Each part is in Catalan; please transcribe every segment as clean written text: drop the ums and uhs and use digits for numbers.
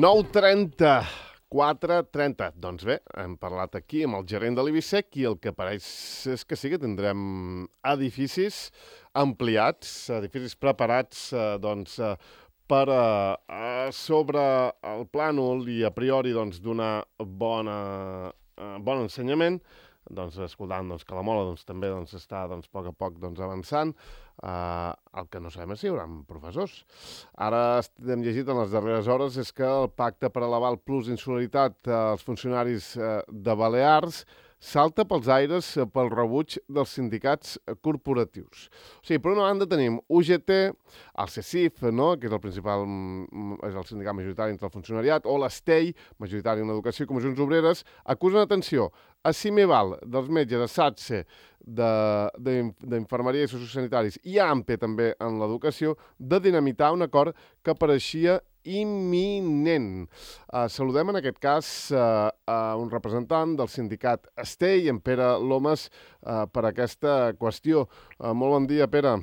9:30, 4:30. Doncs bé, hem parlat aquí amb el gerent de l'Ibisec i el que pareix és que sí que tindrem edificis ampliats, edificis preparats per sobre el plànol i a priori donar bon ensenyament, escoltant que la Mola també està a poc avançant. El que no sabem és si hi haurà professors. Ara hem llegit en les darreres hores és que el pacte per elevar el plus d'insularitat als funcionaris de Balears salta pels aires pel rebuig dels sindicats corporatius. O sigui, per una banda tenim UGT, el CECIF, no?, que és el principal, és el sindicat majoritari entre el funcionariat, o l'ESTEI, majoritari en l'educació i comissions obreres, acusen, atenció, a CIMEVAL, dels metges, a SATSE, d'infermeria i sociosanitaris, i a AMPE també en l'educació, de dinamitar un acord que pareixia imminent. Saludem en aquest cas a un representant del sindicat ESTEI, en Pere Lomas, per aquesta qüestió. Molt bon dia, Pere.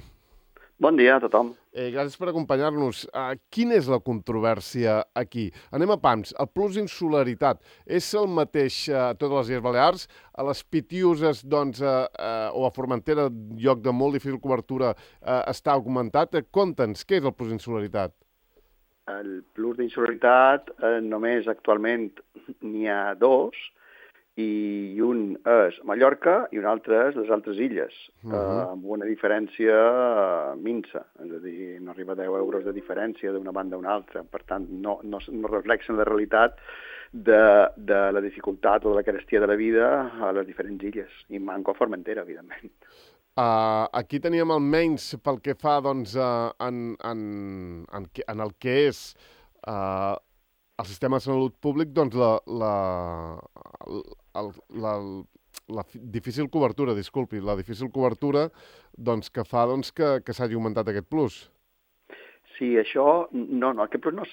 Bon dia a tothom. Gràcies per acompanyar-nos. Quina és la controvèrsia aquí? Anem a pams. El plus d'insularitat és el mateix a totes les Illes Balears? A les Pitiuses, o a Formentera, lloc de molt difícil cobertura, està augmentat? Conta'ns, què és el plus d'insularitat? El plus d'insularitat només actualment n'hi ha dos, i un és Mallorca i un altre és les altres illes, amb una diferència minsa, és a dir, no arriba a 10 euros de diferència d'una banda a una altra. Per tant, no reflexen la realitat de la dificultat o de la carestia de la vida a les diferents illes, i manco a Formentera, evidentment. Aquí teníem almenys pel que fa en el que és el sistema de salut públic, la difícil cobertura, disculpi, la difícil cobertura que fa que s'hagi augmentat aquest plus. Sí, això... No, aquest plus no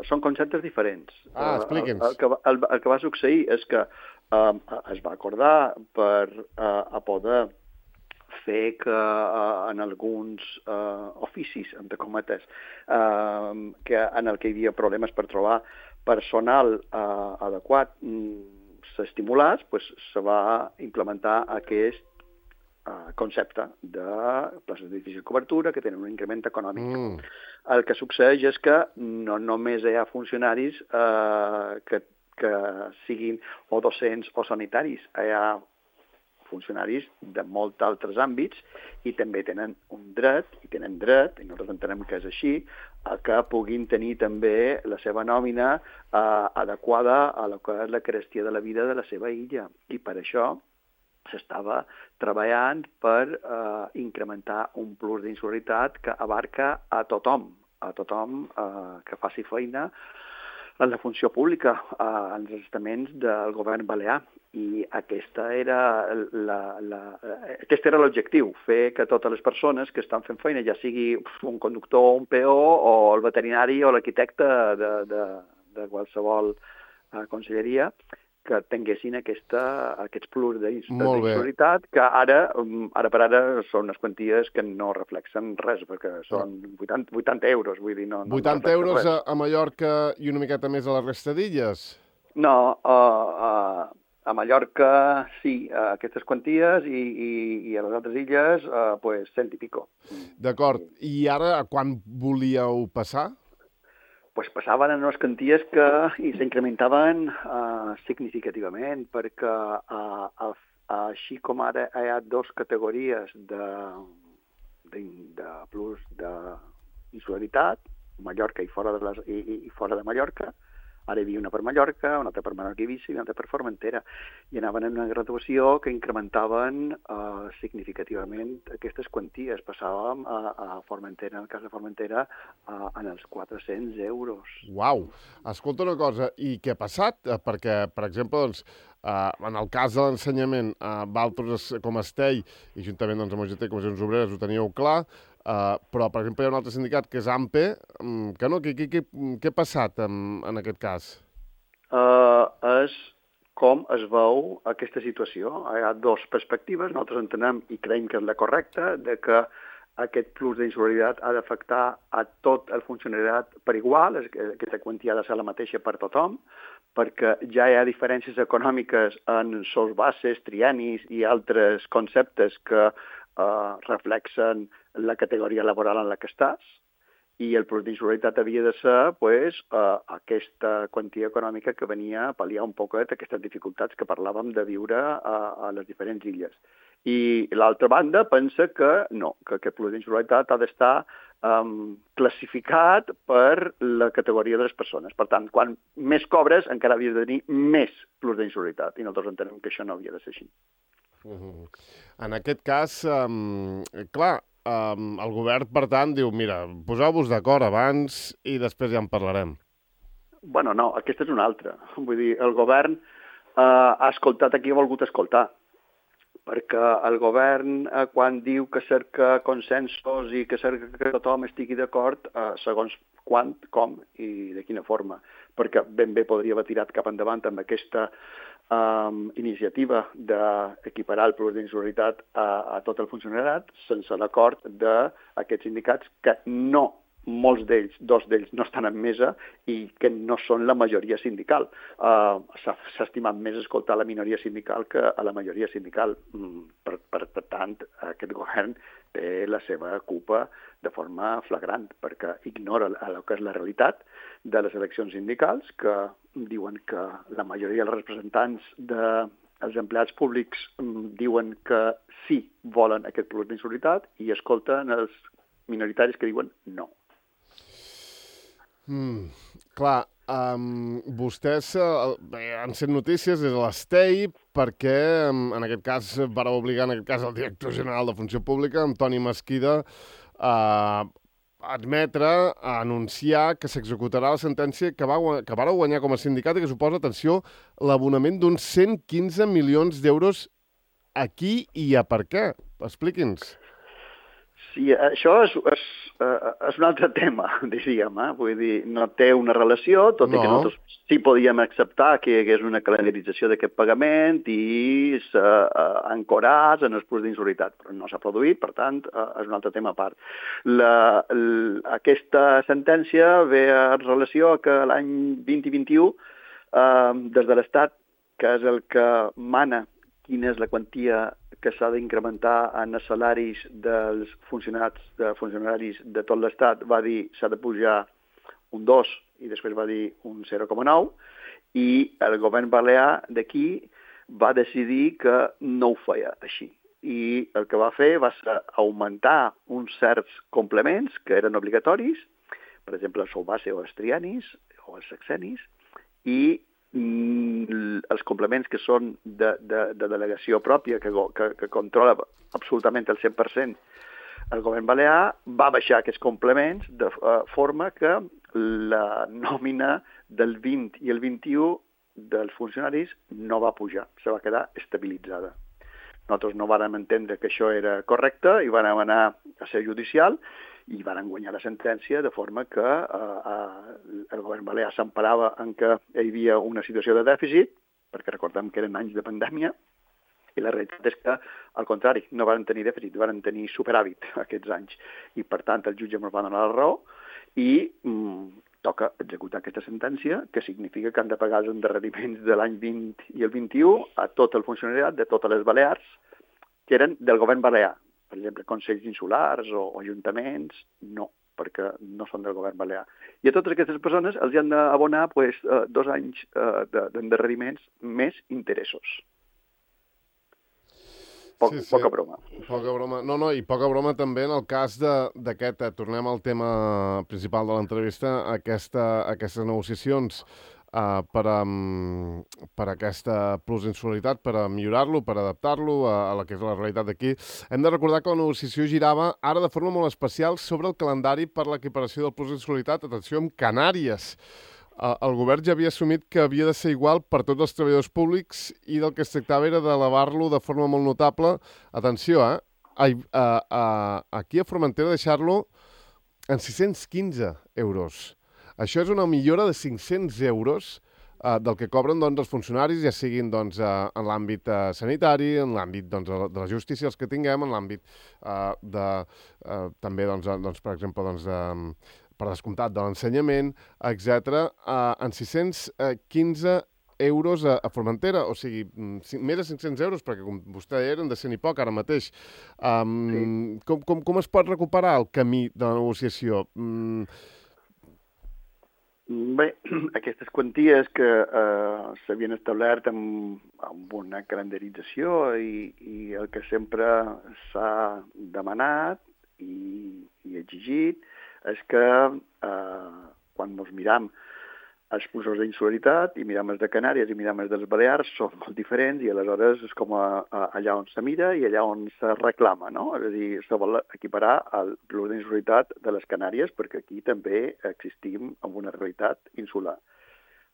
són conceptes diferents. Expliqui'ns. El que va succeir és que es va acordar per a poder fer que en alguns oficis, entre cometes, que en el que hi havia problemes per trobar personal adequat, s'estimulés, se va implementar aquest concepte de places de difícil cobertura que tenen un increment econòmic. El que succeeix és que no només hi ha funcionaris que siguin o docents o sanitaris, hi ha funcionaris de molts altres àmbits i també tenen un dret, i nosaltres entenem que és així, que puguin tenir també la seva nòmina adequada a la que és la carestia de la vida de la seva illa. I per això s'estava treballant per incrementar un plus d'insularitat que abarca a tothom que faci feina en la funció pública, en els estaments del govern balear. I aquest era l'objectiu, fer que totes les persones que estan fent feina, ja sigui un conductor, un peó, o el veterinari o l'arquitecte de qualsevol conselleria, que tinguessin aquests plus d'insularitat, que ara per ara són unes quanties que no reflexen res, perquè són 80 euros, vull dir, no 80 euros a Mallorca i una miqueta més a la resta d'illes? No, a Mallorca sí, aquestes quanties, i a les altres illes, 100 i pico. D'acord. I ara, quan volíeu passar? Passaven en unes quanties que s'incrementaven significativament, perquè així com ara hi ha dues categories de plus d'insularitat, Mallorca i fora de Mallorca. Ara hi havia una per Mallorca, una altra per Menorca i Eivissa i una altra per Formentera. I anaven en una graduació que incrementaven significativament aquestes quanties. Passàvem a Formentera, en el cas de Formentera, en els 400 euros. Uau! Escolta una cosa, i què ha passat? Perquè, per exemple, en el cas de l'ensenyament, vosaltres com a ESTEI i juntament amb UGT i Comissions Obreres ho teníeu clar, però, per exemple, hi ha un altre sindicat que és AMPE, que no, què ha passat en aquest cas? És com es veu aquesta situació. Hi ha dues perspectives, nosaltres entenem i creiem que és la correcta, de que aquest plus d'insolidaritat ha d'afectar a tot el funcionariat per igual, aquesta quantia ha de ser la mateixa per tothom, perquè ja hi ha diferències econòmiques en sous bases, triennis i altres conceptes que reflexen la categoria laboral en la que estàs, i el plus d'insolidaritat havia de ser aquesta quantia econòmica que venia a pal·liar un poquet aquestes dificultats que parlàvem de viure a les diferents illes. I l'altra banda pensa que no, que aquest plus d'insolidaritat ha d'estar classificat per la categoria de les persones. Per tant, quan més cobres, encara havies de tenir més plus d'insolidaritat, i nosaltres entenem que això no havia de ser així. En aquest cas, clar, el govern, per tant, diu, mira, poseu-vos d'acord abans i després ja en parlarem. Bueno, no, aquesta és una altra. Vull dir, el govern ha escoltat a qui ha volgut escoltar, perquè el govern, quan diu que cerca consensos i que cerca que tothom estigui d'acord, segons quan, com i de quina forma, perquè ben bé podria haver tirat cap endavant amb aquesta iniciativa d'equiparar el plus d'insolidaritat a tot el funcionariat sense l'acord d'aquests sindicats que no, molts d'ells, dos d'ells no estan en mesa i que no són la majoria sindical. S'ha estimat més escoltar la minoria sindical que a la majoria sindical. Per tant, aquest govern té la seva culpa de forma flagrant, perquè ignora el que és la realitat de les eleccions sindicals, que diuen que la majoria dels representants dels empleats públics diuen que sí volen aquest plus d'insolidaritat i escolten els minoritaris que diuen no. Clar, vostès han sent notícies des de l'Estei perquè, en aquest cas, vareu obligar el director general de Funció Pública, Antoni Mesquida, a admetre, a anunciar que s'executarà la sentència que vareu guanyar com a sindicat i que suposa, atenció, l'abonament d'uns 115 milions d'euros a qui i a per què. Expliqui'ns. Sí, això és un altre tema, diríem. Vull dir, no té una relació, tot i que nosaltres sí podíem acceptar que hi hagués una calendarització d'aquest pagament i s'ancoràs en els plus d'insolidaritat, però no s'ha produït, per tant, és un altre tema a part. Aquesta sentència ve en relació a que l'any 2021, des de l'Estat, que és el que mana quina és la quantia que s'ha d'incrementar en els salaris dels funcionaris de tot l'Estat, va dir s'ha de pujar un 2 i després va dir un 0,9 i el govern balear d'aquí va decidir que no ho feia així. I el que va fer va ser augmentar uns certs complements que eren obligatoris, per exemple el sou base o els triennis o els sexennis, i els complements que són de delegació pròpia, que controla absolutament el 100%, el govern balear va baixar aquests complements de forma que la nòmina del 20 i el 21 dels funcionaris no va pujar, se va quedar estabilitzada. Nosaltres no vàrem entendre que això era correcte i vàrem anar a ser judicial i van guanyar la sentència de forma que el govern balear s'emparava en que hi havia una situació de dèficit, perquè recordem que eren anys de pandèmia, i la realitat és que, al contrari, no van tenir dèficit, van tenir superàvit aquests anys. I, per tant, el jutge ens va donar la raó i toca executar aquesta sentència, que significa que han de pagar els endarreriments de l'any 20 i el 21 a tot el funcionariat de totes les Balears, que eren del govern balear. Per exemple, consells insulars o ajuntaments, no, perquè no són del govern balear. I a totes aquestes persones els han d'abonar 2 anys d'endarreriments més interessos. Poca broma. Poca broma. No, i poca broma també en el cas d'aquest, tornem al tema principal de l'entrevista, aquestes negociacions per aquesta plus d'insolidaritat, per millorar-lo, per adaptar-lo a la que és la realitat d'aquí. Hem de recordar que la negociació girava ara de forma molt especial sobre el calendari per l'equiparació del plus d'insolidaritat, atenció, amb Canàries. El govern ja havia assumit que havia de ser igual per tots els treballadors públics i del que es tractava era d'elevar-lo de forma molt notable. Atenció, aquí a Formentera deixar-lo en 615 euros. Això és una millora de 500 euros del que cobren doncs, els funcionaris, ja siguin doncs, en l'àmbit sanitari, en l'àmbit doncs, de la justícia, els que tinguem, en l'àmbit també, doncs, per exemple, doncs, per descomptat de l'ensenyament, etc., en 615 euros a Formentera, o sigui, més de 500 euros, perquè com vostè deia, eren de 100 i poc ara mateix. Sí. Com es pot recuperar el camí de la negociació? Bé, aquestes quanties que s'havien establert amb una calendarització i el que sempre s'ha demanat i exigit és que quan ens miram els pusos d'insularitat i miram els de Canàries i miram els dels Balears són molt diferents i aleshores és com allà on se mira i allà on se reclama, no? És a dir, se vol equiparar l'ús d'insularitat de les Canàries perquè aquí també existim en una realitat insular.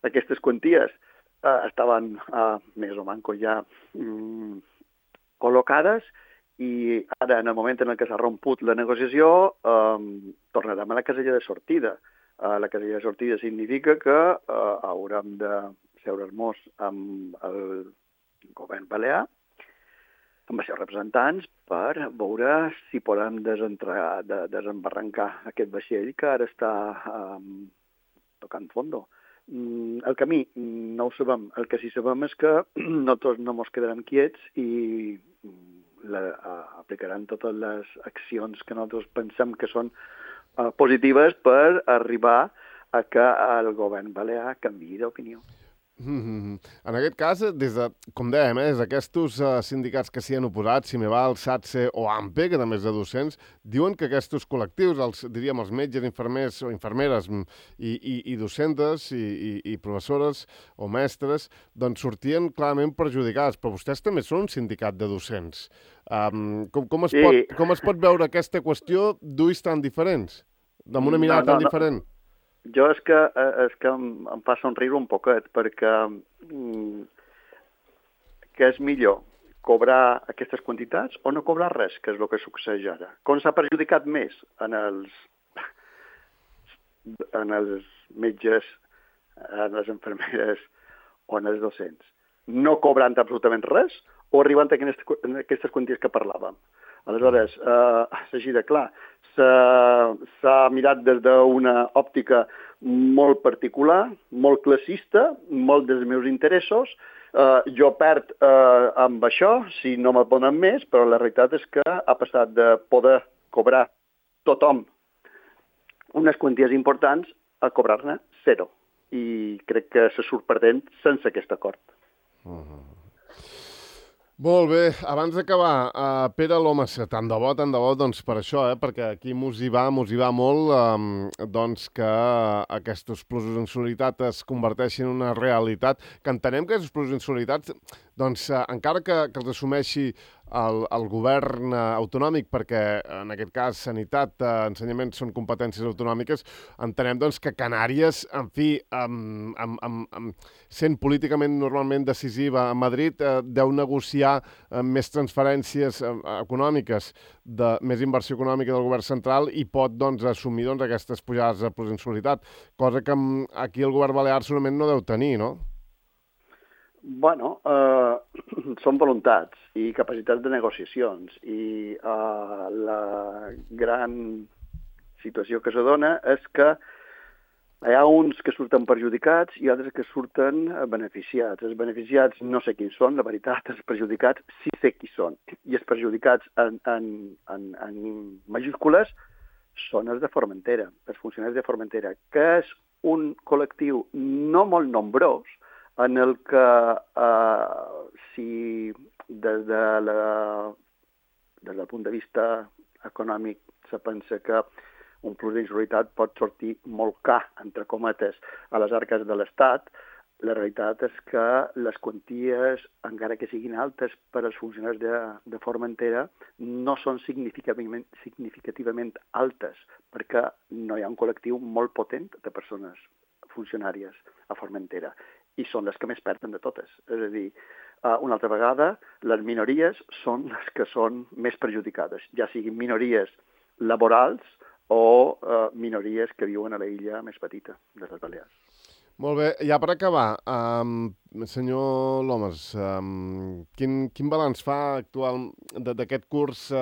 Aquestes quanties estaven més o manco ja col·locades i ara, en el moment en què s'ha romput la negociació, tornarem a la casella de sortida. La casella de sortida significa que haurem de seure-nos amb el govern balear, amb els seus representants, per veure si podem desembarrancar aquest vaixell que ara està tocant fondo. El camí no ho sabem. El que sí sabem és que nosaltres no ens quedarem quiets i aplicaran totes les accions que nosaltres pensem que són positives per arribar a que el govern balear canviï d'opinió. En aquest cas, com dèiem, des d'aquests sindicats que s'hi han oposat, Cimeval, SATSE o AMPE, que també és de docents, diuen que aquests col·lectius, els metges, infermers o infermeres i docentes i professores o mestres, doncs sortien clarament perjudicats, però vostès també són un sindicat de docents. Com es pot veure aquesta qüestió d'ulls tan diferents, amb una mirada tan diferent? Jo és que em fa somriure un poquet, perquè què és millor, cobrar aquestes quantitats o no cobrar res, que és el que succeeix ara? Com s'ha perjudicat més en els metges, en les infermeres o en els docents? No cobrant absolutament res o arribant a aquestes quanties que parlàvem? Aleshores, és així de clar. S'ha mirat des d'una òptica molt particular, molt classista, molt dels meus interessos. Jo perd amb això, si no me'n donen més, però la realitat és que ha passat de poder cobrar tothom unes quanties importants a cobrar-ne zero. I crec que se surt perdent sense aquest acord. Molt bé, abans d'acabar, Pere Lomas, tant de bo, doncs per això, perquè aquí mos hi va molt, doncs que aquests plusos d'insolidaritat es converteixin en una realitat, que entenem que aquests plusos d'insolidaritat, doncs encara que els assumeixi el govern autonòmic, perquè en aquest cas sanitat, ensenyament són competències autonòmiques, entenem doncs que Canàries, en fi, sent políticament normalment decisiva a Madrid, deu negociar més transferències econòmiques, més inversió econòmica del govern central i pot doncs assumir doncs aquestes pujades de insolidaritat, cosa que aquí el govern balear segurament no deu tenir, no? Bueno, són voluntats i capacitats de negociacions i la gran situació que se dona és que hi ha uns que surten perjudicats i altres que surten beneficiats. Els beneficiats no sé quins són, la veritat, els perjudicats sí sé qui són. I els perjudicats en majúscules són els de Formentera, els funcionaris de Formentera, que és un col·lectiu no molt nombrós, en el que si des del punt de vista econòmic se pensa que un plus d'insolidaritat pot sortir molt car, entre cometes, a les arques de l'Estat, la realitat és que les quanties, encara que siguin altes per als funcionaris de Formentera, no són significativament altes, perquè no hi ha un col·lectiu molt potent de persones funcionàries a Formentera. I són les que més perden de totes. És a dir, una altra vegada, les minories són les que són més perjudicades, ja siguin minories laborals o minories que viuen a la illa més petita de les Balears. Molt bé, ja per acabar, senyor Lomas, quin balanç fa actual d'aquest curs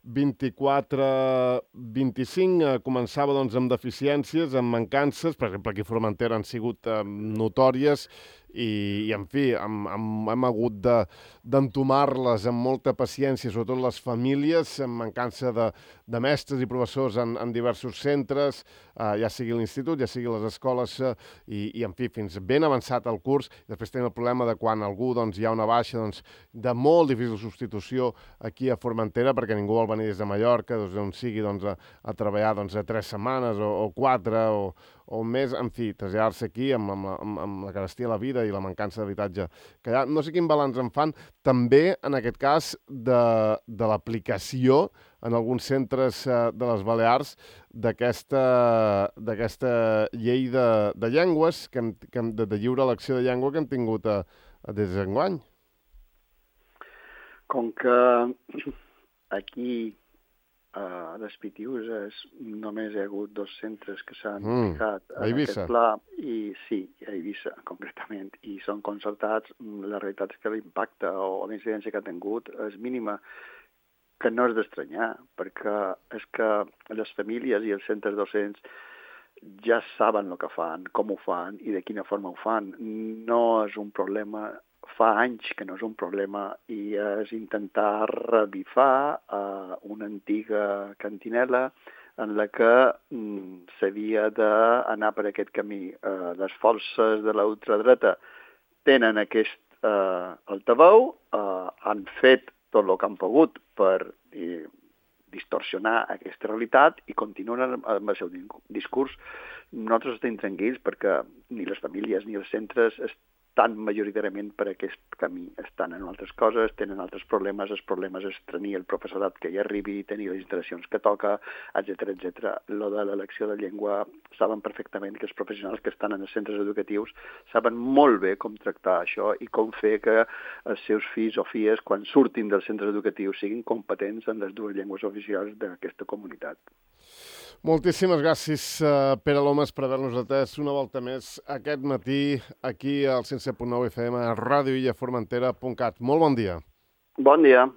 24-25? Començava doncs, amb deficiències, amb mancances, per exemple, aquí a Formentera han sigut notòries i en fi, hem hagut d'entomar-les amb molta paciència, sobretot les famílies, amb mancança de mestres i professors en diversos centres, ja sigui l'institut, ja sigui les escoles, i en fi, fins ben avançat el curs. Després tenim el problema de quan algú doncs, hi ha una baixa de molt difícil substitució aquí a Formentera, perquè ningú vol venir des de Mallorca, on sigui a treballar a 3 setmanes o 4 o un mes, en fi, traslladar-se aquí amb la carestia de la vida i la mancança d'habitatge que hi ha. No sé quin balanç en fan, també, en aquest cas, de l'aplicació en alguns centres de les Balears d'aquesta llei de llengües, de lliure elecció de llengua que hem tingut des d'enguany. Com que aquí a les Pitiüses només hi ha hagut 2 centres que s'han ficat en aquest pla, i sí, a Eivissa concretament, i són concertats, la realitat és que l'impacte o la incidència que ha tingut és mínima, que no és d'estranyar, perquè és que les famílies i els centres docents ja saben el que fan, com ho fan i de quina forma ho fan. No és un problema, fa anys que no és un problema, i és intentar revifar una antiga cantinela en la que s'havia d'anar per aquest camí. Les forces de la ultradreta tenen aquest altaveu, han fet tot el que han pogut per distorsionar aquesta realitat i continuen amb el seu discurs. Nosaltres estem tranquils perquè ni les famílies ni els centres estan majoritàriament per aquest camí. Estan en altres coses, tenen altres problemes. Els problemes és tenir el professorat que hi arribi, tenir les instal·lacions que toca, etc etc. Lo de l'elecció de llengua, saben perfectament que els professionals que estan en els centres educatius saben molt bé com tractar això i com fer que els seus fills o filles, quan surtin dels centres educatius, siguin competents en les 2 llengües oficials d'aquesta comunitat. Moltíssimes gràcies, Pere Lomas, per haver-nos atès una volta més aquest matí aquí al 107.9 FM a radioillaformentera.cat. Molt bon dia. Bon dia.